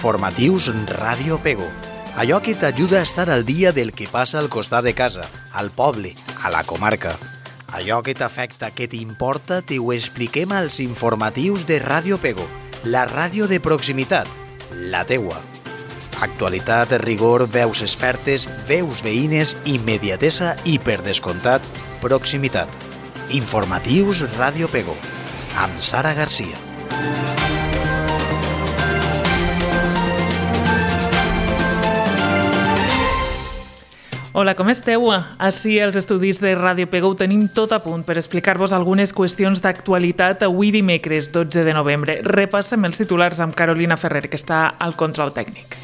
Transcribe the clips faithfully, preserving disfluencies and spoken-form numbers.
Informatius Ràdio Pego. Allò que t'ajuda a estar al dia del que passa al costat de casa, al poble, a la comarca. Allò que t'afecta, que t'importa, t'ho expliquem als informatius de Ràdio Pego, la ràdio de proximitat, la teua. Actualitat, rigor, veus expertes, veus veïnes, immediatesa i, per descomptat, proximitat. Informatius Ràdio Pego, amb Sara Garcia. Hola, com esteu? Així als estudis de Ràdio Pego ho tenim tot a punt per explicar-vos algunes qüestions d'actualitat avui dimecres dotze de novembre. Repassem els titulars amb Carolina Ferrer, que està al control tècnic.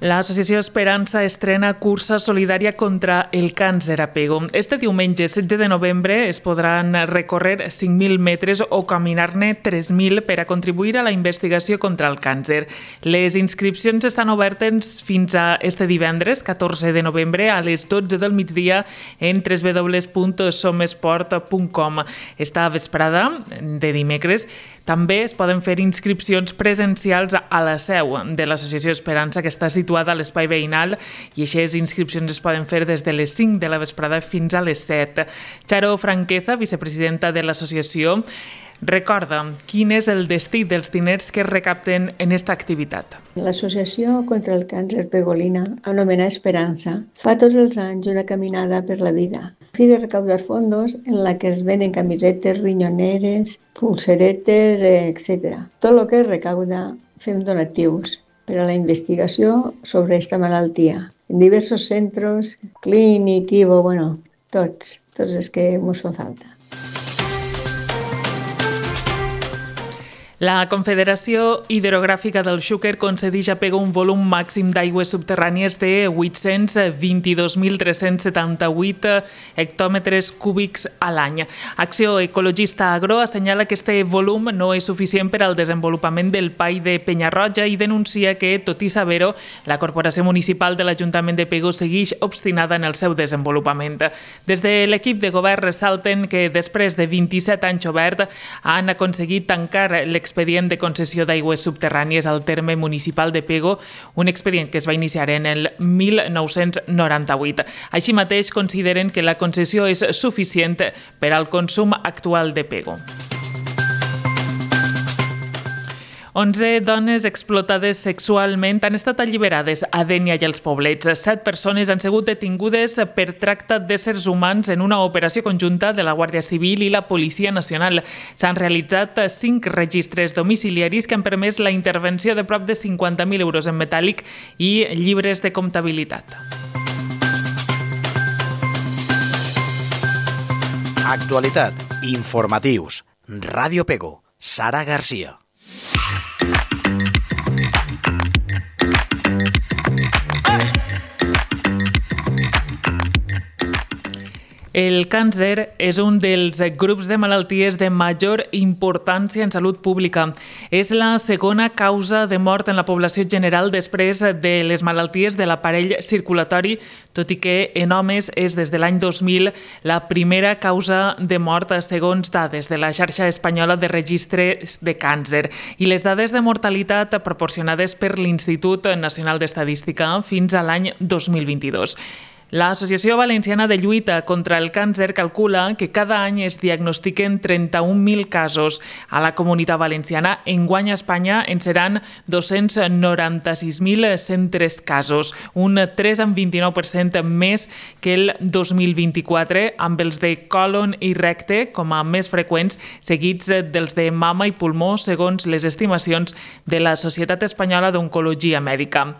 L'Associació Esperança estrena cursa solidària contra el càncer a Pego. Este diumenge, setze de novembre, es podran recórrer cinc mil metres o caminar-ne tres mil per a contribuir a la investigació contra el càncer. Les inscripcions estan obertes fins a este divendres, catorze de novembre, a les dotze del migdia en w w w punt somesport punt com. Esta vesprada de dimecres també es poden fer inscripcions presencials a la seu de l'Associació Esperança, que està situada a l'espai veïnal, i aquestes inscripcions es poden fer des de les cinc de la vesprada fins a les set. Charo Franqueza, vicepresidenta de l'associació, recorda quin és el destí dels diners que es recapten en aquesta activitat. L'Associació contra el Càncer Pegolina, anomenada Esperança, fa tots els anys una caminada per la vida, a fi de recaudar fondos en la que es venen camisetes, rinyoneres, pulseretes, etcètera. Tot el que es recauda fem donatius per a la investigació sobre aquesta malaltia. En diversos centres, clínic, Ivo, bueno, tots, tots els que ens fa falta. La Confederació Hidrogràfica del Xúquer concedeix a Pego un volum màxim d'aigües subterrànies de vuit-cents vint-i-dos mil tres-cents setanta-vuit hectòmetres cúbics a l'any. Acció Ecologista Agro assenyala que este volum no és suficient per al desenvolupament del P A I de Penyarroja i denuncia que, tot i saber-ho, la Corporació Municipal de l'Ajuntament de Pego segueix obstinada en el seu desenvolupament. Des de l'equip de govern ressalten que després de vint-i-set anys obert han aconseguit tancar l'expedient expedient de concessió d'aigües subterrànies al terme municipal de Pego, un expedient que es va iniciar en el mil nou-cents noranta-vuit. Així mateix consideren que la concessió és suficient per al consum actual de Pego. onze dones explotades sexualment han estat alliberades a Dénia i als Poblets. Set persones han sigut detingudes per tracte d'éssers humans en una operació conjunta de la Guàrdia Civil i la Policia Nacional. S'han realitzat cinc registres domiciliaris que han permès la intervenció de prop de cinquanta mil euros en metàl·lic i llibres de comptabilitat. Actualitat, informatius, Ràdio Pego, Sara Garcia. El càncer és un dels grups de malalties de major importància en salut pública. És la segona causa de mort en la població general després de les malalties de l'aparell circulatori, tot i que en homes és des de l'any dos mil la primera causa de mort segons dades de la xarxa espanyola de registres de càncer i les dades de mortalitat proporcionades per l'Institut Nacional d'Estadística fins a l'any dos mil vint-i-dos. L'Associació Valenciana de Lluita contra el Càncer calcula que cada any es diagnostiquen trenta-un mil casos. A la Comunitat Valenciana, enguany a Espanya en seran dos-cents noranta-sis mil cent tres casos, un tres coma vint-i-nou per cent més que el dos mil vint-i-quatre, amb els de còlon i recte com a més freqüents, seguits dels de mama i pulmó, segons les estimacions de la Societat Espanyola d'Oncologia Mèdica.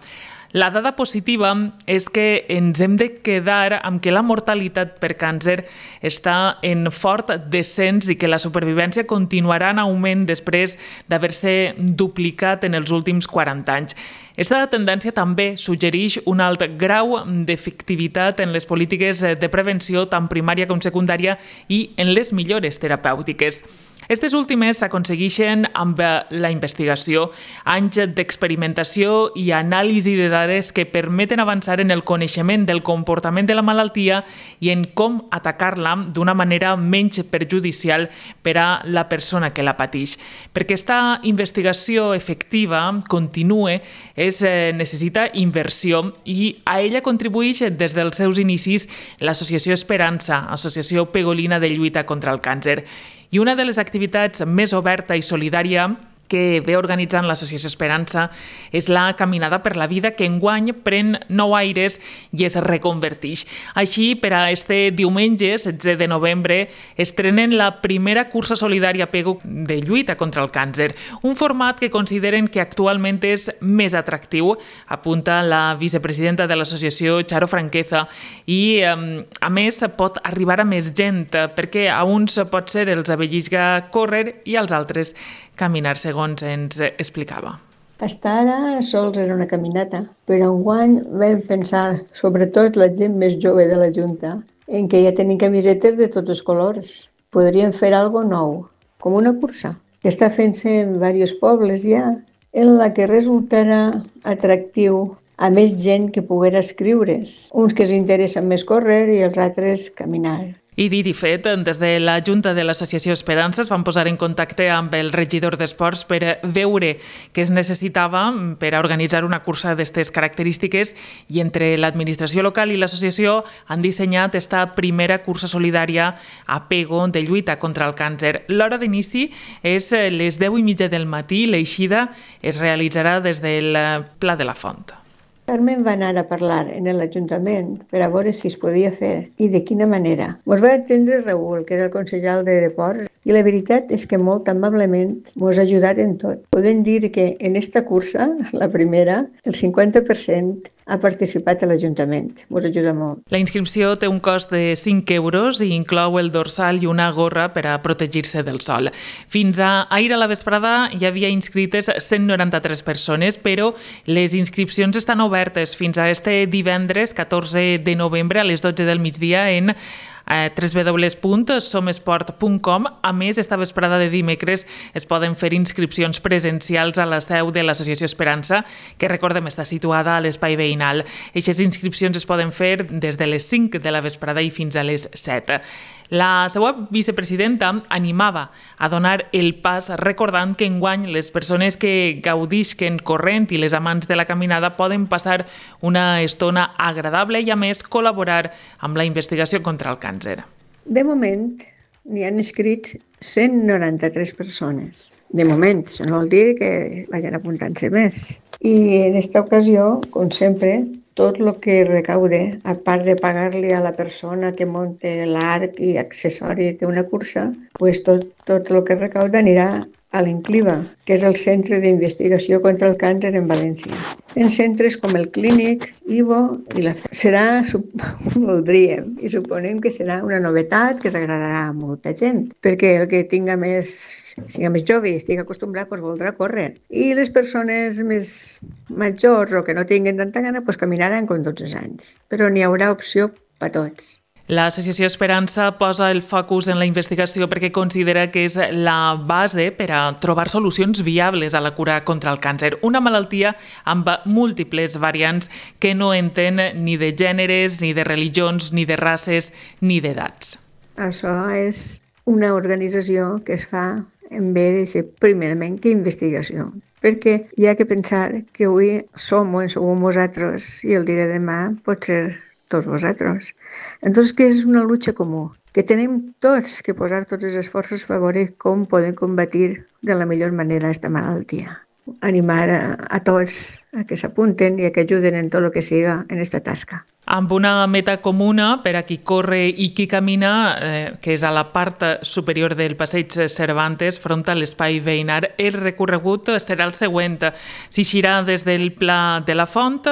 La dada positiva és que ens hem de quedar amb que la mortalitat per càncer està en fort descens i que la supervivència continuarà en augment després d'haver-se duplicat en els últims quaranta anys. Aquesta tendència també suggereix un alt grau d'efectivitat en les polítiques de prevenció tant primària com secundària i en les millores terapèutiques. Aquestes últimes s'aconsegueixen amb la investigació, anys d'experimentació i anàlisi de dades que permeten avançar en el coneixement del comportament de la malaltia i en com atacar-la d'una manera menys perjudicial per a la persona que la pateix. Perquè aquesta investigació efectiva continue, es necessita inversió i a ella contribueix des dels seus inicis l'Associació Esperança, Associació Pegolina de Lluita contra el Càncer. I una de les activitats més oberta i solidària que ve organitzant l'Associació Esperança és la Caminada per la Vida, que enguany pren nou aires i es reconverteix. Així, per a este diumenge, setze de novembre, estrenen la primera cursa solidària PEGO de lluita contra el càncer, un format que consideren que actualment és més atractiu, apunta la vicepresidenta de l'associació, Charo Franqueza, i a més pot arribar a més gent, perquè a uns pot ser els avellisga córrer i als altres caminar, segons ens explicava. Fins ara sols era una caminata, però enguany vam pensar, sobretot la gent més jove de la Junta, en què ja tenim camisetes de tots els colors. Podríem fer alguna cosa nou, com una cursa, que està fent-se en diversos pobles ja, en la que resultarà atractiu a més gent que poguera escriure's. Uns que s'interessen més córrer i els altres caminar. I dit i fet, des de la Junta de l'Associació Esperança es van posar en contacte amb el regidor d'Esports per veure què es necessitava per a organitzar una cursa d'aquestes característiques i entre l'administració local i l'associació han dissenyat esta primera cursa solidària a PEGO de lluita contra el càncer. L'hora d'inici és les deu i mitja del matí, l'eixida es realitzarà des del Pla de la Font. Carmen va anar a parlar en l'Ajuntament per a veure si es podia fer i de quina manera. Ens va atendre Raül, que era el consellal de Deports, i la veritat és que molt amablement ens ha ajudat en tot. Podem dir que en esta cursa, la primera, el cinquanta per cent ha participat a l'Ajuntament. Ens ajuda molt. La inscripció té un cost de cinc euros i inclou el dorsal i una gorra per a protegir-se del sol. Fins a ahir a la vesprada hi havia inscrites cent noranta-tres persones, però les inscripcions estan obertes fins a este divendres catorze de novembre a les dotze del migdia en w w w punt somesport punt com. A més, esta vesprada de dimecres es poden fer inscripcions presencials a la seu de l'Associació Esperança, que recordem està situada a l'espai veïnal. Aquestes inscripcions es poden fer des de les cinc de la vesprada i fins a les set. La seva vicepresidenta animava a donar el pas recordant que enguany les persones que gaudisquen corrent i les amants de la caminada poden passar una estona agradable i a més col·laborar amb la investigació contra el càncer. De moment n'hi han inscrits cent noranta-tres persones. De moment, això no vol dir que vagin apuntant-se més. I en aquesta ocasió, com sempre, tot el que recaude, a part de pagar-li a la persona que munta l'arc i accessoris d'una cursa, pues tot, tot el que recauda anirà a l'Incliva, que és el Centre d'Investigació contra el Càncer en València. En centres com el Clínic, Ivo i la... Serà, voldríem, i suponem que serà una novetat que s'agradarà a molta gent, perquè el que tinga més, siga més jove i estigui acostumbrat, pues voldrà córrer. I les persones més majors o que no tinguin tanta gana, pues caminaran com tots els anys. Però n'hi haurà opció per a tots. L'Associació Esperança posa el focus en la investigació perquè considera que és la base per a trobar solucions viables a la cura contra el càncer, una malaltia amb múltiples variants que no entén ni de gèneres, ni de religions, ni de races, ni d'edats. Això és una organització que es fa en bé de ser primerament que investigació, perquè hi ha que pensar que avui som o en som vosaltres i el dia de demà pot ser tots vosaltres. Entonces, que és una lucha comú, que tenim tots que posar tots els esforços per veure com podem combatir de la millor manera aquesta malaltia. Animar a, a tots a que s'apunten i a que ajuden en tot el que siga en aquesta tasca. amb una meta comuna per a qui corre i qui camina, eh, que és a la part superior del passeig Cervantes, front a l'espai veïnar. El recorregut serà el següent. S'eixirà des del Pla de la Font,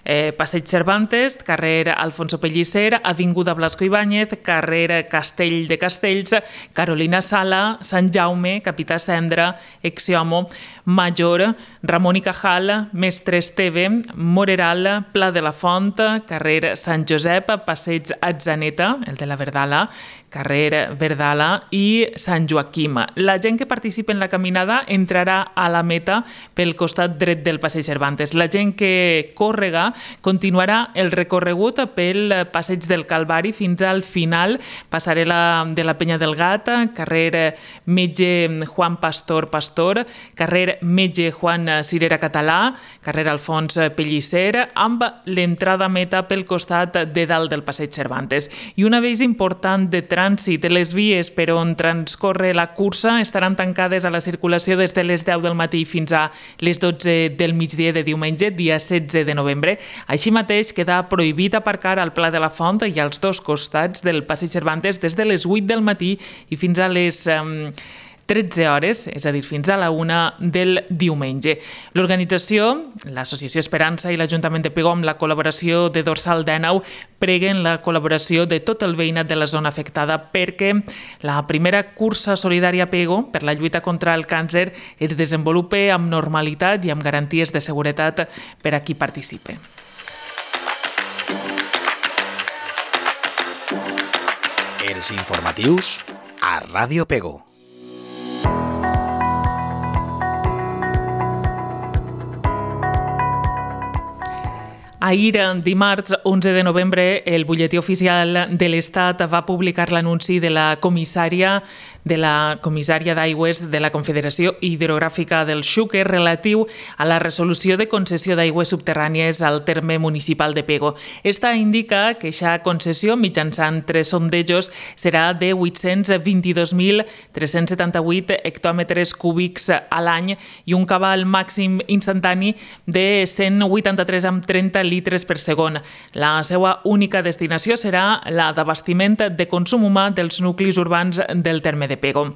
eh, passeig Cervantes, carrer Alfonso Pellicer, avinguda Blasco Ibáñez, carrer Castell de Castells, Carolina Sala, Sant Jaume, Capità Cendra, Exiomo, Major, Ramon i Cajal, Mestre Esteve, Moreral, Pla de la Font, carrer Sant Josep, passeig Atzaneta, el de la Verdala, carrer Verdala i Sant Joaquim. La gent que participa en la caminada entrarà a la meta pel costat dret del passeig Cervantes. La gent que córrega continuarà el recorregut pel passeig del Calvari fins al final, passarel·la de la Penya del Gat, carrer Metge Juan Pastor Pastor, carrer Metge Juan Cirera Català, carrer Alfons Pellicer, amb l'entrada a meta pel costat de dalt del passeig Cervantes. I un avís important de trànsit, les vies per on transcorre la cursa estaran tancades a la circulació des de les deu del matí fins a les dotze del migdia de diumenge, dia setze de novembre. Així mateix queda prohibit aparcar al Pla de la Font i als dos costats del passeig Cervantes des de les vuit del matí i fins a les um, tretze hores, és a dir, fins a la una del diumenge. L'organització, l'Associació Esperança i l'Ajuntament de Pego, amb la col·laboració de Dorsal Dènau, preguen la col·laboració de tot el veïnat de la zona afectada perquè la primera cursa solidària Pego per la lluita contra el càncer es desenvolupi amb normalitat i amb garanties de seguretat per a qui participe. Els informatius a Ràdio Pego. Ahir, dimarts onze de novembre, el butlletí oficial de l'Estat va publicar l'anunci de la comissària de la comissària d'aigües de la Confederació Hidrogràfica del Xúquer relatiu a la resolució de concessió d'aigües subterrànies al terme municipal de Pego. Esta indica que aquesta concessió mitjançant tres sondejos serà de vuit-cents vint-i-dos mil tres-cents setanta-vuit hectòmetres cúbics a l'any i un cabal màxim instantani de cent vuitanta-tres coma trenta litres per segon. La seva única destinació serà la d'abastiment de consum humà dels nuclis urbans del terme de Pego.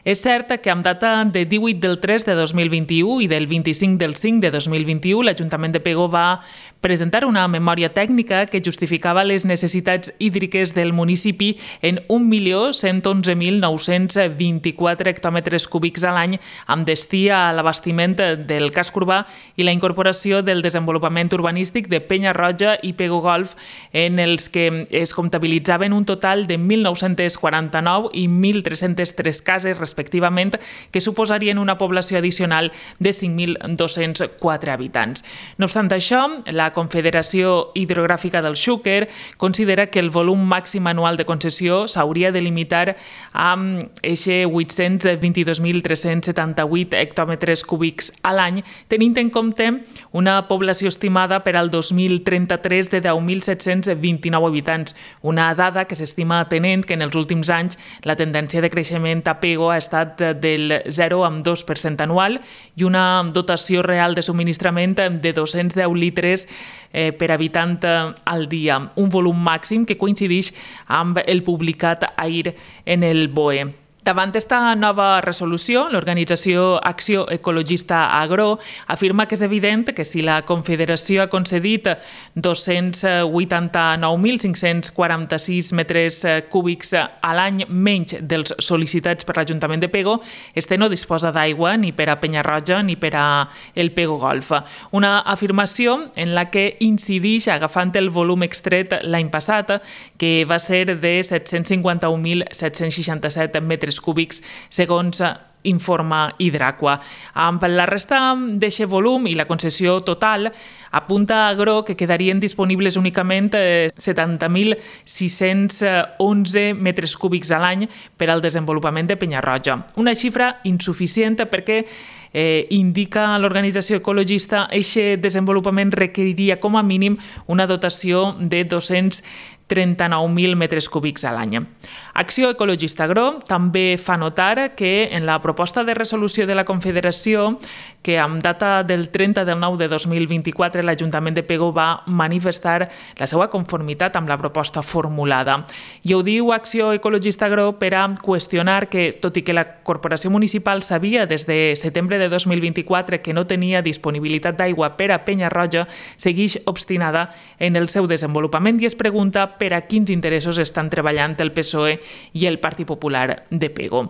És cert que amb data de divuit del tres de dos mil vint-i-u i del vint-i-cinc del cinc de dos mil vint-i-u, l'Ajuntament de Pego va presentar una memòria tècnica que justificava les necessitats hídriques del municipi en un milió cent onze mil nou-cents vint-i-quatre hectòmetres cúbics a l'any amb destí a l'abastiment del casc urbà i la incorporació del desenvolupament urbanístic de Penya Roja i Pego Golf, en els que es comptabilitzaven un total de mil nou-cents quaranta-nou i mil tres-cents tres cases respectivament, que suposarien una població addicional de cinc mil dos-cents quatre habitants. No obstant això, la Confederació Hidrogràfica del Xúquer considera que el volum màxim anual de concessió s'hauria de limitar a eixe vuit-cents vint-i-dos mil tres-cents setanta-vuit hectòmetres cúbics a l'any, tenint en compte una població estimada per al dos mil trenta-tres de deu mil set-cents vint-i-nou habitants, una dada que s'estima atenent que en els últims anys la tendència de creixement a Pego ha estat del zero coma dos per cent anual i una dotació real de subministrament de dos-cents deu litres eh, per habitant al dia, un volum màxim que coincideix amb el publicat ahir en el B O E. Davant d'esta nova resolució, l'organització Acció Ecologista Agro afirma que és evident que si la Confederació ha concedit dos-cents vuitanta-nou mil cinc-cents quaranta-sis metres cúbics a l'any menys dels sol·licitats per l'Ajuntament de Pego, este no disposa d'aigua ni per a Penya Roja ni per a el Pego Golf. Una afirmació en la que incideix agafant el volum extret l'any passat, que va ser de set-cents cinquanta-un mil set-cents seixanta-set metres cúbics, segons informa Hidraqua. Amb la resta d'aquest volum i la concessió total, apunta Agro que quedarien disponibles únicament setanta mil sis-cents onze metres cúbics a l'any per al desenvolupament de Penya Roja. Una xifra insuficient perquè Eh, indica l'organització ecologista que aquest desenvolupament requeriria com a mínim una dotació de dos-cents trenta-nou mil metres cúbics a l'any. Acció Ecologista Agro també fa notar que en la proposta de resolució de la Confederació, que amb data del trenta del nou de dos mil vint-i-quatre l'Ajuntament de Pego va manifestar la seva conformitat amb la proposta formulada. I ho diu Acció Ecologista Agro per a qüestionar que, tot i que la Corporació Municipal sabia des de setembre de dos mil vint-i-quatre que no tenia disponibilitat d'aigua per a Penyarroja, segueix obstinada en el seu desenvolupament i es pregunta per a quins interessos estan treballant el P S O E i el Partit Popular de Pego.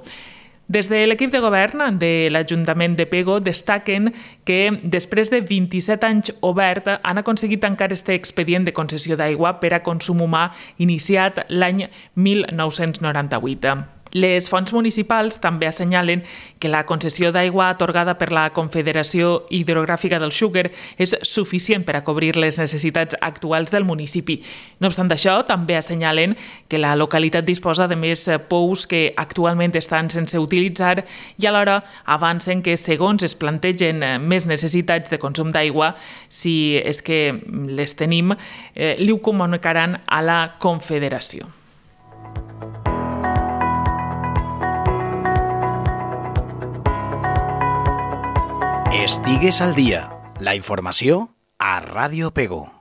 Des de l'equip de govern de l'Ajuntament de Pego destaquen que després de vint-i-set anys obert han aconseguit tancar este expedient de concessió d'aigua per a consum humà iniciat l'any mil nou-cents noranta-vuit. Les fonts municipals també assenyalen que la concessió d'aigua atorgada per la Confederació Hidrogràfica del Xúquer és suficient per a cobrir les necessitats actuals del municipi. No obstant això, també assenyalen que la localitat disposa de més pous que actualment estan sense utilitzar i alhora avancen que, segons es plantegen més necessitats de consum d'aigua, si és que les tenim, eh, li ho comunicaran a la Confederació. Estigues al dia. La informació a Ràdio Pego.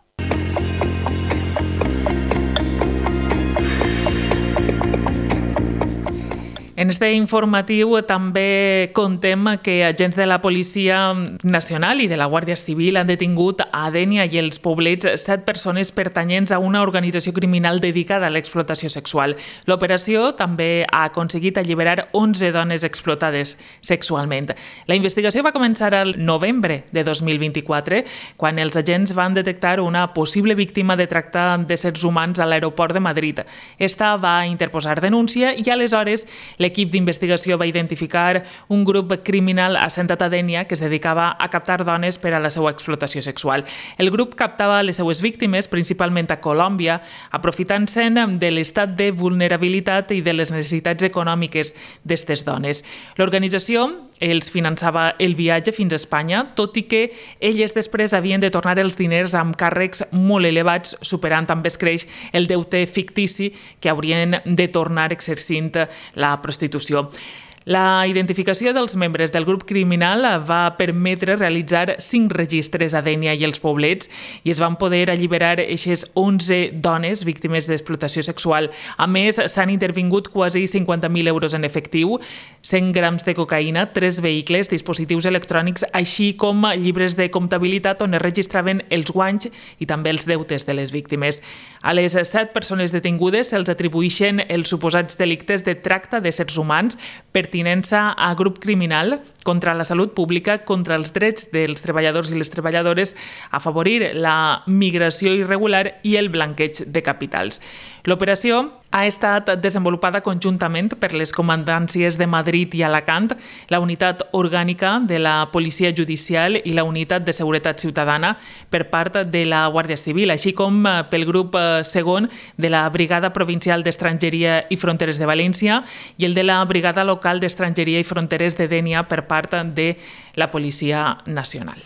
En este informatiu també contem que agents de la Policia Nacional i de la Guàrdia Civil han detingut a Dénia i els Poblets set persones pertanyents a una organització criminal dedicada a l'explotació sexual. L'operació també ha aconseguit alliberar onze dones explotades sexualment. La investigació va començar al novembre de dos mil vint-i-quatre, quan els agents van detectar una possible víctima de tracte d'éssers humans a l'aeroport de Madrid. Esta va interposar denúncia i aleshores l'equip d'investigació va identificar un grup criminal assentat a Dénia que es dedicava a captar dones per a la seva explotació sexual. El grup captava les seues víctimes, principalment a Colòmbia, aprofitant-se'n de l'estat de vulnerabilitat i de les necessitats econòmiques d'aquestes dones. L'organització els finançava el viatge fins a Espanya, tot i que elles després havien de tornar els diners amb càrrecs molt elevats, superant també es creix el deute fictici que haurien de tornar exercint la prostitució. La identificació dels membres del grup criminal va permetre realitzar cinc registres a Dénia i els Poblets i es van poder alliberar aquestes onze dones víctimes d'explotació sexual. A més, s'han intervingut quasi cinquanta mil euros en efectiu, cent grams de cocaïna, tres vehicles, dispositius electrònics, així com llibres de comptabilitat on es registraven els guanys i també els deutes de les víctimes. A les set persones detingudes se'ls atribueixen els suposats delictes de tracte d'éssers humans, pertinença a grup criminal, contra la salut pública, contra els drets dels treballadors i les treballadores, afavorir la migració irregular i el blanqueig de capitals. L'operació ha estat desenvolupada conjuntament per les comandàncies de Madrid i Alacant, la unitat orgànica de la Policia Judicial i la unitat de Seguretat Ciutadana per part de la Guàrdia Civil, així com pel grup segon de la Brigada Provincial d'Estrangeria i Fronteres de València i el de la Brigada Local d'Estrangeria i Fronteres de Dénia per part de la Policia Nacional.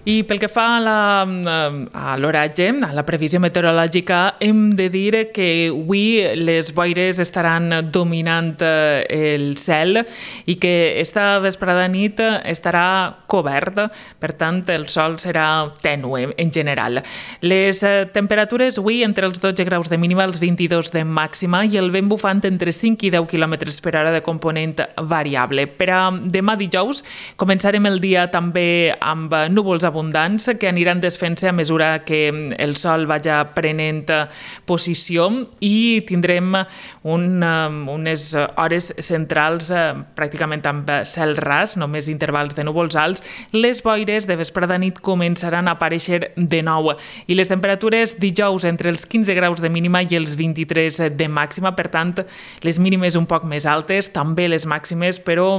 I pel que fa a l'oratge, a la previsió meteorològica, hem de dir que avui les boires estaran dominant el cel i que esta vesprada nit estarà cobert, per tant el sol serà tènue en general. Les temperatures avui entre els dotze graus de mínima, els vint-i-dos de màxima i el vent bufant entre cinc i deu quilòmetres per hora de component variable. Per a demà dijous començarem el dia també amb núvols abundants que aniran desfent-se a mesura que el sol vagi prenent posició i tindrem un, unes hores centrals pràcticament amb cel ras, només intervals de núvols alts. Les boires de vesprada nit començaran a aparèixer de nou i les temperatures dijous entre els quinze graus de mínima i els vint-i-tres de màxima, per tant les mínimes un poc més altes, també les màximes, però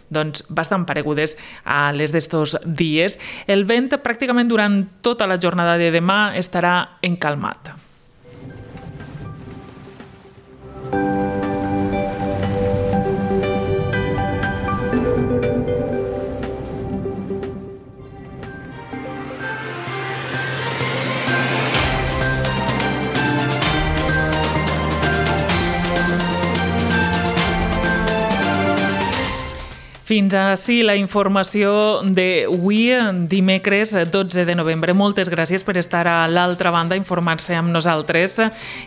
doncs, bastant paregudes a les d'estos dies. El vent pràcticament durant tota la jornada de demà estarà encalmat. Fins ací la informació d'avui, dimecres dotze de novembre. Moltes gràcies per estar a l'altra banda, informar-se amb nosaltres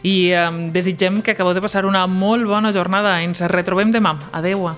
i desitgem que acabeu de passar una molt bona jornada. Ens retrobem demà. Adéu.